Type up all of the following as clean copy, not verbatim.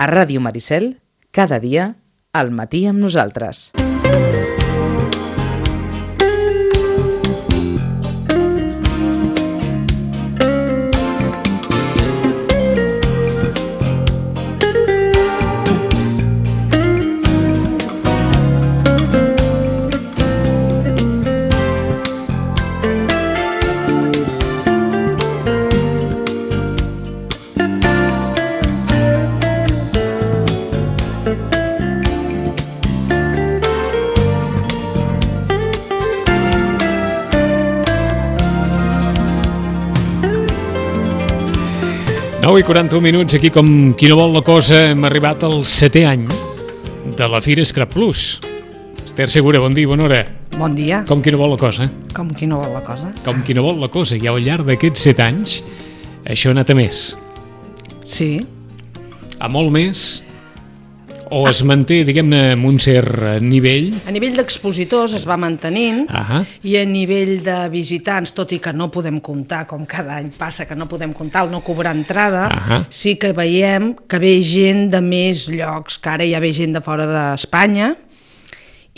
A Ràdio Maricel, cada dia, al matí amb nosaltres. I 41 minuts, aquí com qui no vol la cosa, hem arribat al 7è any de la Fira Scrap Plus. Esther Segura, bon dia, bona hora. Bon dia. Com qui no vol la cosa. Com qui no vol la cosa. Com qui no vol la cosa. I al llarg d'aquests 7 anys, això ha anat a més. Sí. A molt més, o es manté, diguem-ne, amb un cert nivell? A nivell d'expositors es va mantenint i a nivell de visitants, tot i que no podem comptar, com cada any passa que no podem comptar el no cobrar entrada, sí que veiem que ve gent de més llocs, que ara ja ve gent de fora d'Espanya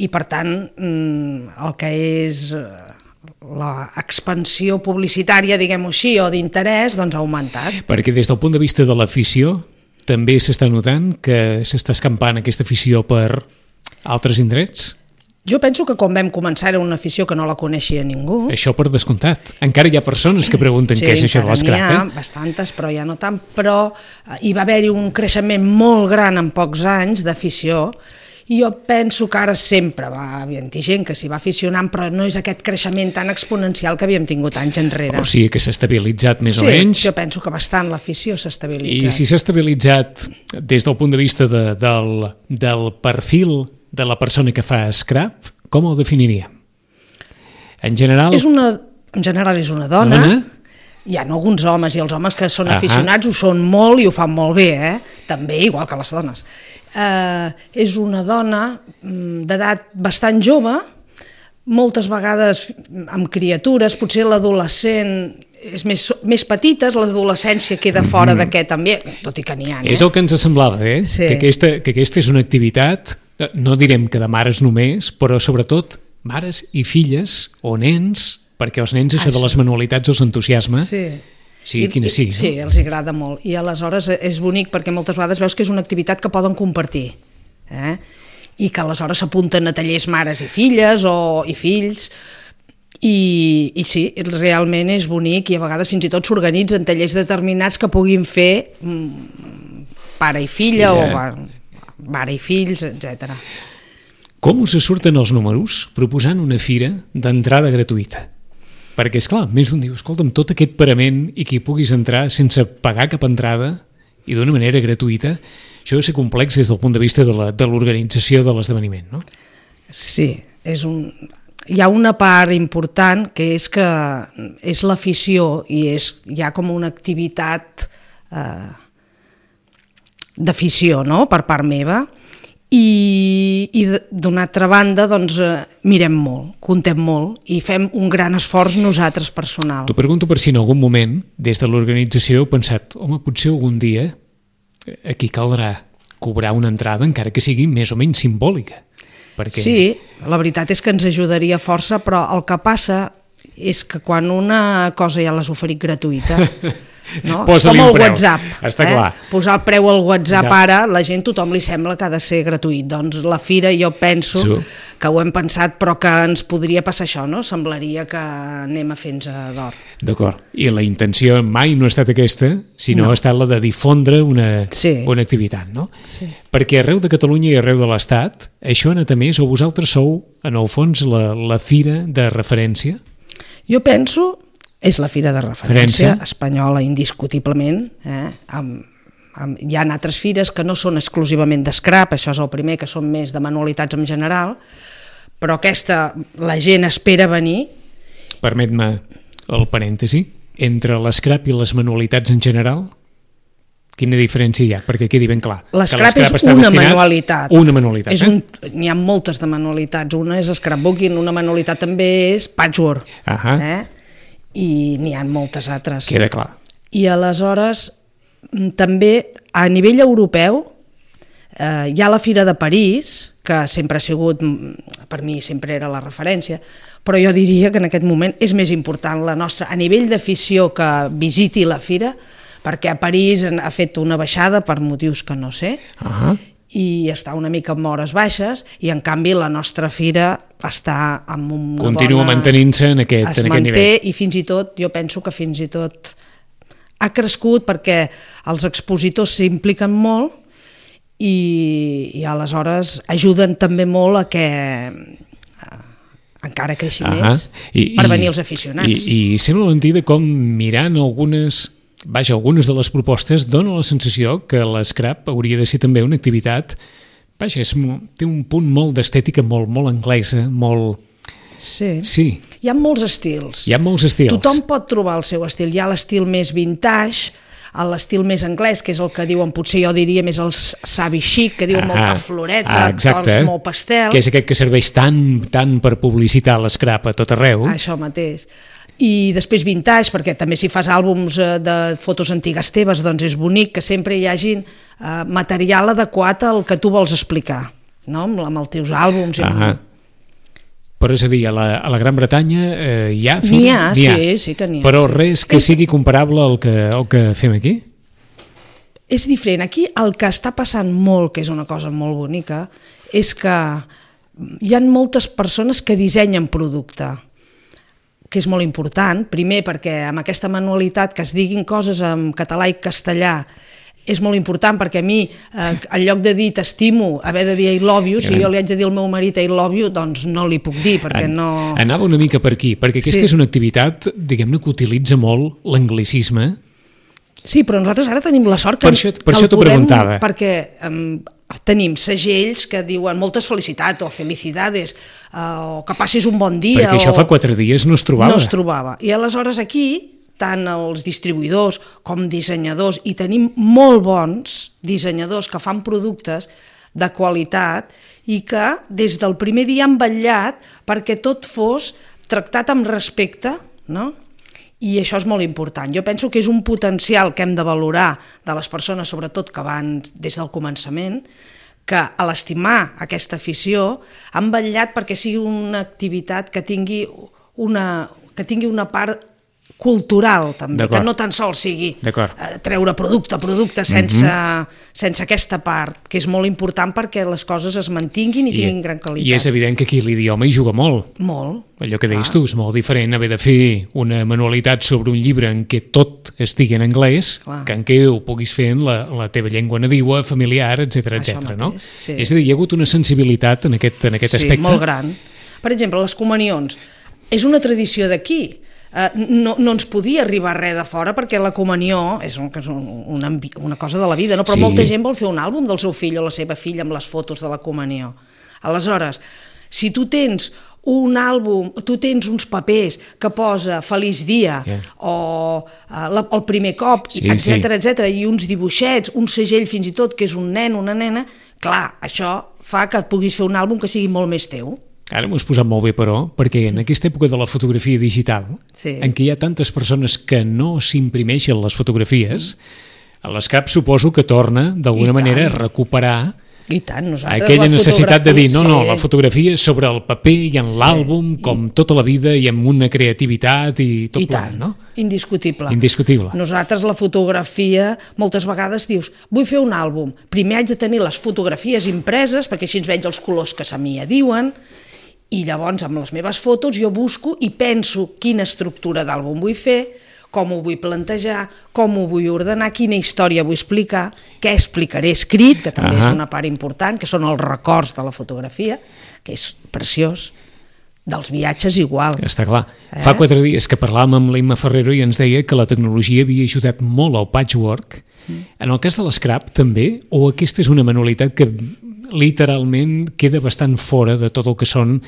i per tant el que és l'expansió publicitària, diguem-ho així, o d'interès, doncs ha augmentat. Perquè des del punt de vista de l'afició també s'està notant que s'està escampant aquesta afició per altres indrets? Jo penso que quan vam començar era una afició que no la coneixia ningú. Això per descomptat. Encara hi ha persones que pregunten què és això de l'escrap. Sí, n'hi ha bastantes, però ja no tant. Però hi va haver-hi un creixement molt gran en pocs anys d'afició i jo penso que ara sempre va haver-hi gent que s'hi va aficionant, però no és aquest creixement tan exponencial que havíem tingut anys enrere. O sigui que s'ha estabilitzat més o menys. Sí, jo penso que bastant l'afició s'ha estabilitzat. I si s'ha estabilitzat des del punt de vista del perfil de la persona que fa scrap, com ho definiria? En general... En general és una dona. Hi ha alguns homes, i els homes que són aficionats ho són molt i ho fan molt bé, també, igual que les dones. És una dona d'edat bastant jove, moltes vegades amb criatures, potser l'adolescent és més petites, l'adolescència queda fora d'aquest ambient, tot i que n'hi ha. És el que ens semblava, Sí. que aquesta és una activitat, no direm que de mares només, però sobretot mares i filles o nens, perquè els nens això de les manualitats els entusiasma. Sí. Sigui quina sigui. Sí, els agrada molt. I aleshores és bonic perquè moltes vegades veus que és una activitat que poden compartir. I que aleshores s'apunten a tallers mares i filles i fills. I sí, realment és bonic i a vegades fins i tot s'organitzen tallers determinats que puguin fer pare i filla o mare i fills, etc. Com us surten els números proposant una fira d'entrada gratuïta? Perquè, esclar, més d'un diu, escolta'm, tot aquest parament i que hi puguis entrar sense pagar cap entrada i d'una manera gratuïta, això ha de ser complex des del punt de vista de l'organització de l'esdeveniment, no? Sí, hi ha una part important que és l'afició i hi ha com una activitat d'afició, no?, per part meva. I d'una altra banda doncs mirem molt, contem molt i fem un gran esforç nosaltres personal. T'ho pregunto per si en algun moment des de l'organització heu pensat, home, potser algun dia aquí caldrà cobrar una entrada encara que sigui més o menys simbòlica. Perquè... Sí, la veritat és que ens ajudaria força, però el que passa és que quan una cosa ja l'has oferit gratuïta... No? Posa-li com un el preu. WhatsApp, està clar. Posar el preu al WhatsApp ara, la gent, tothom li sembla que ha de ser gratuït, doncs la fira jo penso que ho hem pensat però que ens podria passar això, no? Semblaria que anem a fer-nos d'or. D'acord, i la intenció mai no ha estat aquesta, sinó ha estat la de difondre una activitat, no? Sí. Perquè arreu de Catalunya i arreu de l'Estat això ha anat a més, o vosaltres sou en el fons la fira de referència? Jo penso... És la fira de referència espanyola, indiscutiblement. Hi ha altres fires que no són exclusivament d'escrap, això és el primer, que són més de manualitats en general, però aquesta, la gent espera venir. Permet-me el parèntesi, entre l'escrap i les manualitats en general, quina diferència hi ha? Perquè quedi ben clar. L'escrap és una manualitat. Una manualitat, N'hi ha moltes de manualitats. Una és scrapbooking, una manualitat també és patchwork. I n'hi ha moltes altres. Queda clar. I aleshores també a nivell europeu Hi ha la Fira de París, que sempre ha sigut, per mi sempre era la referència, però jo diria que en aquest moment és més important la nostra, a nivell d'afició, que visiti la fira, perquè a París ha fet una baixada per motius que no sé, i està una mica en hores baixes, i en canvi la nostra fira està amb una continua mantenint-se en aquest nivell. I fins i tot, jo penso que fins i tot ha crescut perquè els expositors s'impliquen molt i aleshores ajuden també molt a que encara creixi més per venir els aficionats. I sembla mentida com mirant algunes de les propostes dona la sensació que l'Scrap hauria de ser també una activitat, té un punt molt d'estètica molt anglesa, molt... Sí. Hi ha molts estils. Tothom pot trobar el seu estil. Hi ha l'estil més vintage, l'estil més anglès, que és el que diuen, potser jo diria més el savi chic, que diuen molta floreta, tons molt pastel. Que és aquest que serveix tant per publicitar l'Scrap a tot arreu. Això mateix. I després vintage, perquè també si fas àlbums de fotos antigues teves, doncs és bonic que sempre hi hagin material adequat al que tu vols explicar, no? Amb els teus àlbums. Però és a dir, a la Gran Bretanya hi ha? N'hi ha, sí que n'hi ha. Però res que sigui comparable al que fem aquí? És diferent. Aquí el que està passant molt, que és una cosa molt bonica, és que hi ha moltes persones que dissenyen producte, que és molt important, primer perquè amb aquesta manualitat que es diguin coses en català i castellà és molt important, perquè a mi, en lloc de dir t'estimo, haver de dir I love you, si jo li haig de dir al meu marit I love you, doncs no li puc dir, perquè no... Anava una mica per aquí, perquè aquesta és una activitat, diguem-ne, que utilitza molt l'anglicisme. Sí, però nosaltres ara tenim la sort que per això t'ho preguntava. Perquè tenim segells que diuen moltes felicitats o felicidades, o que passis un bon dia. Perquè això fa 4 dies no es trobava. No es trobava. I aleshores aquí, tant els distribuïdors com dissenyadors, i tenim molt bons dissenyadors que fan productes de qualitat i que des del primer dia han vetllat perquè tot fos tractat amb respecte, no? I això és molt important. Jo penso que és un potencial que hem de valorar de les persones, sobretot que van des del començament, que a l'estimar aquesta afició han vetllat perquè sigui una activitat que tingui una part cultural també, que no tan sols sigui treure producte sense aquesta part, que és molt important perquè les coses es mantinguin i tinguin gran qualitat. I és evident que aquí l'idioma hi juga molt. Molt. Allò que deies tu, és molt diferent haver de fer una manualitat sobre un llibre en què tot estigui en anglès, que en què ho puguis fer en la teva llengua nadiua, familiar, etc. no? Sí. És a dir, hi ha hagut una sensibilitat en aquest aspecte. Sí, molt gran. Per exemple, les comunions. És una tradició d'aquí. No ens podia arribar res de fora perquè la comunió és una cosa de la vida, no? Però molta gent vol fer un àlbum del seu fill o la seva filla amb les fotos de la comunió. Aleshores, si tu tens un àlbum, tu tens uns papers que posa feliç dia o el primer cop, etc, i uns dibuixets, un segell fins i tot que és un nen, una nena, clar, això fa que puguis fer un àlbum que sigui molt més teu. Ara m'ho has posat molt bé, però, perquè en aquesta època de la fotografia digital, en què hi ha tantes persones que no s'imprimeixen les fotografies, l'Scrap suposo que torna, d'alguna manera, a recuperar aquella necessitat de dir, la fotografia sobre el paper i en l'àlbum, com tota la vida, i amb una creativitat i tot plegat, no? Indiscutible. Indiscutible. Nosaltres la fotografia, moltes vegades dius, vull fer un àlbum, primer haig de tenir les fotografies impreses, perquè així veig els colors que se m'hi adiuen, i llavors amb les meves fotos jo busco i penso quina estructura d'àlbum vull fer, com ho vull plantejar, com ho vull ordenar, quina història vull explicar, què explicaré escrit, que també és una part important, que són els records de la fotografia, que és preciós, dels viatges igual. Està clar. Fa 4 dies que parlàvem amb l'Imma Ferrero i ens deia que la tecnologia havia ajudat molt al patchwork. En el cas de l'Scrap també, o aquesta és una manualitat que literalment queda bastant fora de tot el que són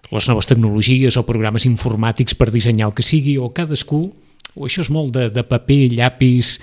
les noves tecnologies o programes informàtics per dissenyar el que sigui, o cadascú, o això és molt de paper, llapis,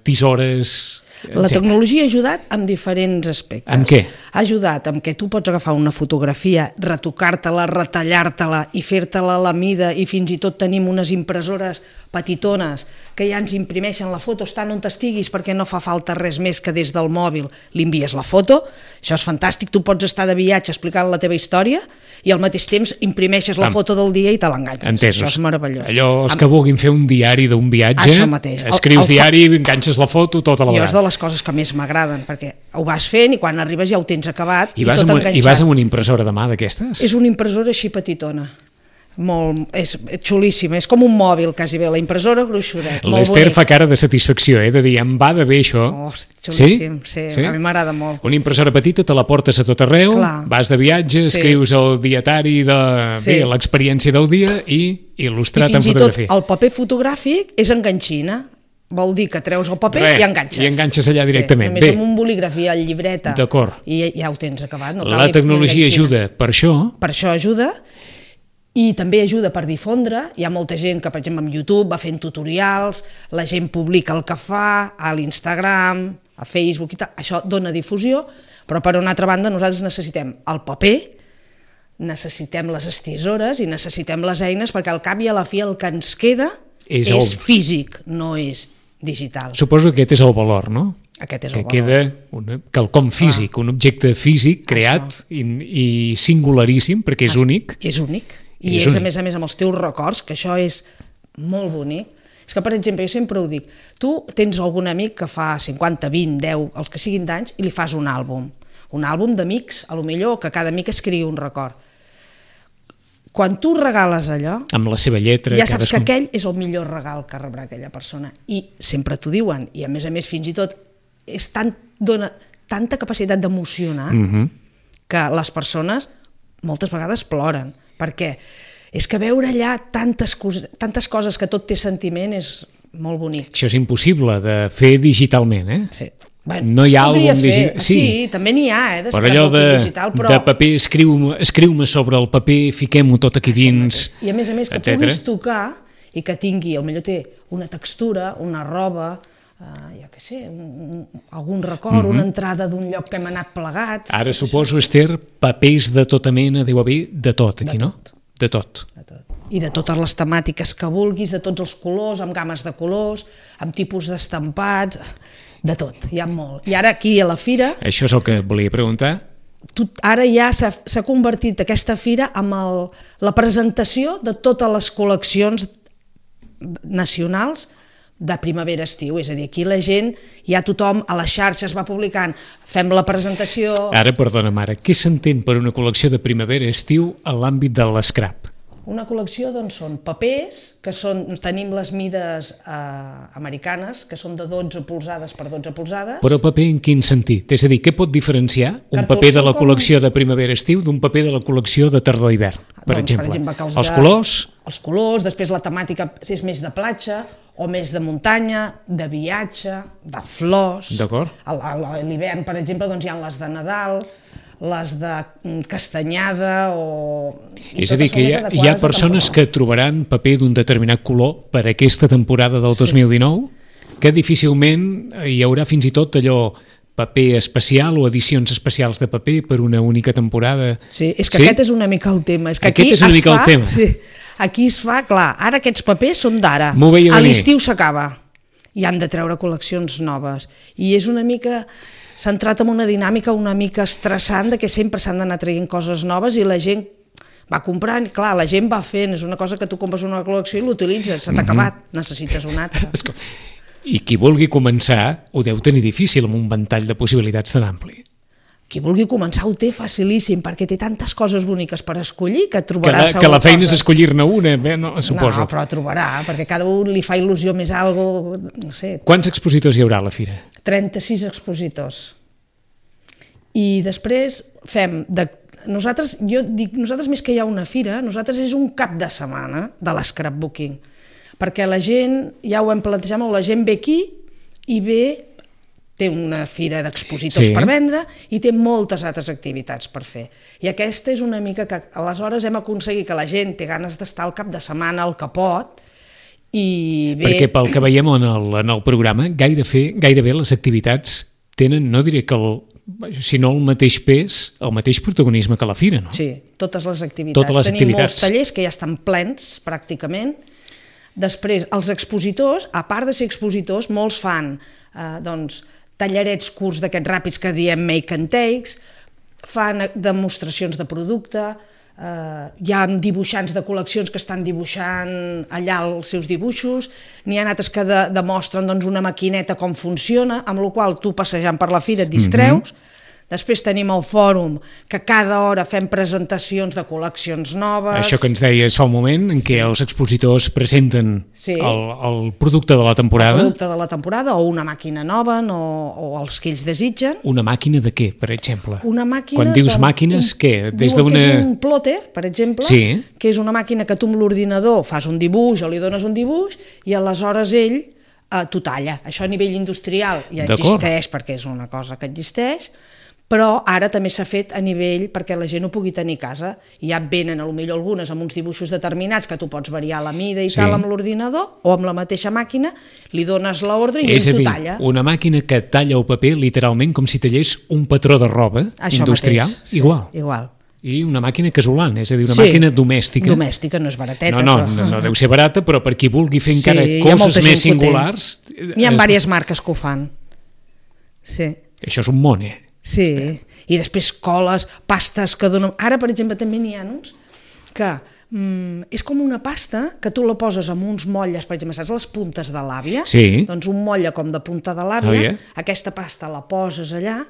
tisores... La tecnologia ha ajudat en diferents aspectes. En què? Ha ajudat en què tu pots agafar una fotografia, retocar-te-la, retallar-te-la i fer-te-la a la mida, i fins i tot tenim unes impressores petitones que ja ens imprimeixen la foto, estan on estiguis, perquè no fa falta res més que des del mòbil li envies la foto. Això és fantàstic, tu pots estar de viatge explicant la teva història i al mateix temps imprimeixes la foto del dia i te l'enganxes. Entesos. Això és meravellós. Allò, els que vulguin fer un diari d'un viatge, això mateix. escrius diari, enganxes la foto, tota la Jo vegada. és de les coses que més m'agraden, perquè ho vas fent i quan arribes ja ho tens acabat I tot enganxat. I vas amb una impressora de mà d'aquestes? És una impressora així petitona. És xulíssima, és com un mòbil quasi bé, la impressora gruixudet. L'Ester fa cara de satisfacció, de dir, em va de bé això. Xulíssim, sí? A mi m'agrada molt. Una impressora petita, te la portes a tot arreu, vas de viatge, escrius el dietari de l'experiència del dia i il·lustrat en fotografia. I fins i tot el paper fotogràfic és enganxina. Vol dir que treus el paper i enganxes. I enganxes allà directament. Només amb un bolígraf i el llibreta. D'acord. I ja ho tens acabat. La tecnologia ajuda per això. Per això ajuda. I també ajuda per difondre. Hi ha molta gent que, per exemple, amb YouTube va fent tutorials, la gent publica el que fa a l'Instagram, a Facebook i tal. Això dona difusió, però per una altra banda nosaltres necessitem el paper, necessitem les estisores i necessitem les eines perquè al cap i a la fi el que ens queda és físic, no és digital. Suposo que aquest és el valor, no? Aquest és el valor. Que queda quelcom físic, un objecte físic creat i singularíssim perquè és únic. És únic. I és, a més amb els teus records, que això és molt bonic. És que, per exemple, jo sempre ho dic, tu tens algun amic que fa 50, 20, 10, els que siguin d'anys, i li fas un àlbum d'amics, a lo millor que cada amic escriu un record. Quan tu regales allò, amb la seva lletra, ja saps que aquell és el millor regal que rebrà aquella persona. I sempre t'ho diuen, i a més fins i tot dona tanta capacitat d'emocionar que les persones moltes vegades ploren. Perquè és que veure allà tantes coses que tot té sentiment és molt bonic. Això és impossible de fer digitalment, eh? Sí. No hi ha àlbum digital. Sí, també n'hi ha, però allò de paper, escriu-me sobre el paper, fiquem-ho tot aquí dins, i a més que puguis tocar i que tingui, potser té una textura, una roba, jo què sé, algun record, una entrada d'un lloc que hem anat plegats. Ara suposo, Ester, papers de tota mena, deu haver de tot aquí, no? De tot. I de totes les temàtiques que vulguis, de tots els colors, amb gammes de colors, amb tipus d'estampats, de tot, hi ha molt. I ara aquí a la fira... Això és el que volia preguntar. Ara ja s'ha convertit aquesta fira en la presentació de totes les col·leccions nacionals de primavera-estiu, és a dir, aquí la gent, ja tothom a les xarxes va publicant, fem la presentació... Ara, perdona, mare, què s'entén per una col·lecció de primavera-estiu a l'àmbit de l'escrap? Una col·lecció, doncs, són papers, tenim les mides americanes, que són de 12 polzades per 12 polzades. Però paper en quin sentit? És a dir, què pot diferenciar un paper de la col·lecció de primavera-estiu d'un paper de la col·lecció de tardor-hivern, per exemple? Els colors? Els colors, després la temàtica és més de platja, o més de muntanya, de viatge, de flors. D'acord. A l'hivern, per exemple, doncs hi ha les de Nadal, les de castanyada o... És a dir, que hi ha persones que trobaran paper d'un determinat color per aquesta temporada del 2019, que difícilment hi haurà fins i tot allò paper especial o edicions especials de paper per una única temporada. Sí, és que aquest és una mica el tema. Aquest és una mica el tema. Sí, aquí es fa, clar, ara aquests papers són d'ara, a l'estiu s'acaba i han de treure col·leccions noves. I és una mica... s'ha entrat en una dinàmica una mica estressant de que sempre s'han d'anar traient coses noves i la gent va comprant, clar, la gent va fent, és una cosa que tu compres una col·lecció i l'utilitzes, s'ha acabat, necessites una altra. I qui vulgui començar ho deu tenir difícil amb un ventall de possibilitats tan ampli. Qui vulgui començar ho té facilíssim, perquè té tantes coses boniques per escollir que trobarà que la feina és escollir-ne una, no, suposo. No, però trobarà, perquè cada un li fa il·lusió més algo, no sé. Quants expositors hi haurà a la fira? 36 expositors. I després fem... Nosaltres més que hi ha una fira, nosaltres és un cap de setmana de l'scrapbooking, perquè la gent, ja ho hem plantejat molt, la gent ve aquí i té una fira d'expositors per vendre i té moltes altres activitats per fer. I aquesta és una mica que aleshores hem aconseguit que la gent té ganes d'estar al cap de setmana al que pot i bé... Perquè pel que veiem en el programa, gairebé les activitats tenen, no diré que sinó el mateix pes, el mateix protagonisme que la fira, no? Sí, totes les activitats. Tenim molts tallers que ja estan plens, pràcticament. Després, els expositors, a part de ser expositors, molts fan tallarets curts d'aquests ràpids que diem make and takes, fan demostracions de producte, hi ha dibuixants de col·leccions que estan dibuixant allà els seus dibuixos, n'hi ha altres que demostren una maquineta com funciona, amb la qual tu passejant per la fira et distreus. Després tenim el fòrum, que cada hora fem presentacions de col·leccions noves. Això que ens deies fa un moment, en què els expositors presenten el producte de la temporada. El producte de la temporada, o una màquina nova, o els que ells desitgen. Una màquina de què, per exemple? Una màquina... Quan dius màquines, què? Des d'una... És un plotter, per exemple, que és una màquina que tu amb l'ordinador fas un dibuix o li dones un dibuix i aleshores ell t'ho talla. Això a nivell industrial ja existeix, perquè és una cosa que existeix, però ara també s'ha fet a nivell perquè la gent ho pugui tenir a casa, i ja venen potser algunes amb uns dibuixos determinats que tu pots variar la mida i tal amb l'ordinador, o amb la mateixa màquina, li dones l'ordre i ell t'ho talla. És a dir, una màquina que talla el paper literalment com si tallés un patró de roba industrial, igual. I una màquina casolana, és a dir, una màquina domèstica. Domèstica, no és barateta. No deu ser barata, però per qui vulgui fer encara coses més singulars... Hi ha diverses marques que ho fan. Això és un món, Sí, i després coles, pastes que donen... Ara, per exemple, també n'hi ha uns que és com una pasta que tu la poses amb uns motlles, per exemple, saps les puntes de l'àvia? Sí. Doncs un motlle com de punta de l'àvia, aquesta pasta la poses allà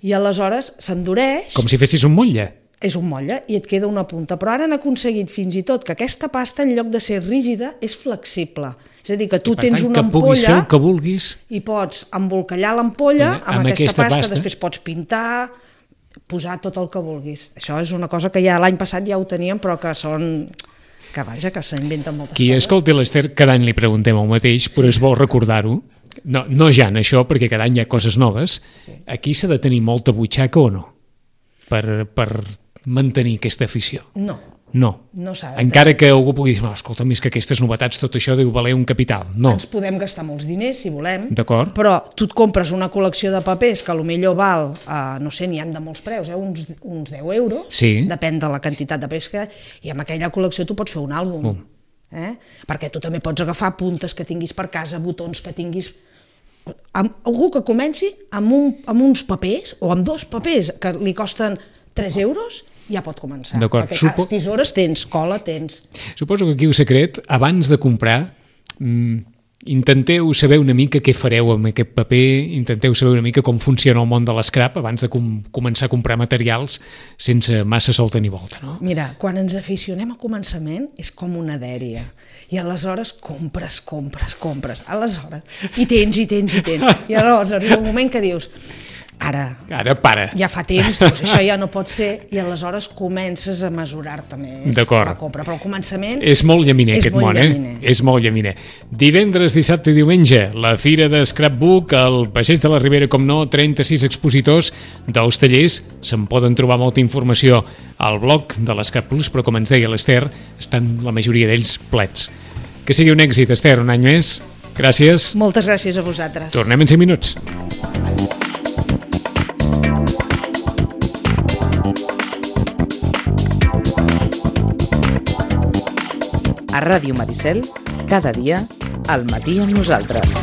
i aleshores s'endureix... Com si fessis un motlle. És un motlle i et queda una punta, però ara han aconseguit fins i tot que aquesta pasta, en lloc de ser rígida, és flexible. És a dir, que tu tens una ampolla... que puguis fer el que vulguis... I pots embolcallar l'ampolla amb aquesta pasta, després pots pintar, posar tot el que vulguis. Això és una cosa que ja l'any passat ja ho teníem, però que són... que vaja, que s'inventen moltes coses. Qui escolti l'Ester, cada any li preguntem el mateix, però és bo recordar-ho. No ja en això, perquè cada any hi ha coses noves. Aquí s'ha de tenir molta butxaca o no? Per mantenir aquesta afició. No s'ha de tenir. Encara que algú pugui dir, escolta, més que aquestes novetats, tot això deu valer un capital. No. Ens podem gastar molts diners, si volem, d'acord, però tu et compres una col·lecció de papers que potser val, no sé, n'hi ha de molts preus, uns 10 euros, depèn de la quantitat de papers que hi ha, i amb aquella col·lecció tu pots fer un àlbum. Perquè tu també pots agafar puntes que tinguis per casa, botons que tinguis... Algú que comenci amb uns papers, o amb 2 papers, que li costen 3 euros, ja pot començar. Perquè tisores tens, cola tens. Suposo que aquí el secret, abans de comprar, intenteu saber una mica què fareu amb aquest paper, intenteu saber una mica com funciona el món de l'escrap abans de començar a comprar materials sense massa solta ni volta, no? Mira, quan ens aficionem a començament és com una dèria, i aleshores compres, aleshores, i tens, i aleshores arriba un moment que dius... Ara para. Ja fa temps, doncs això ja no pot ser, i aleshores comences a mesurar-te més la compra, però al començament... És molt llaminer aquest món, És molt llaminer. Divendres, dissabte i diumenge, la Fira de Scrapbook, al Passeig de la Ribera, com no, 36 expositors dels tallers, se'n poden trobar molta informació al blog de l'Scrap Plus, però com ens deia l'Ester, estan la majoria d'ells plets. Que sigui un èxit, Ester, un any més. Gràcies. Moltes gràcies a vosaltres. Tornem en 5 minuts. A Ràdio Maricel, cada dia, al matí amb nosaltres.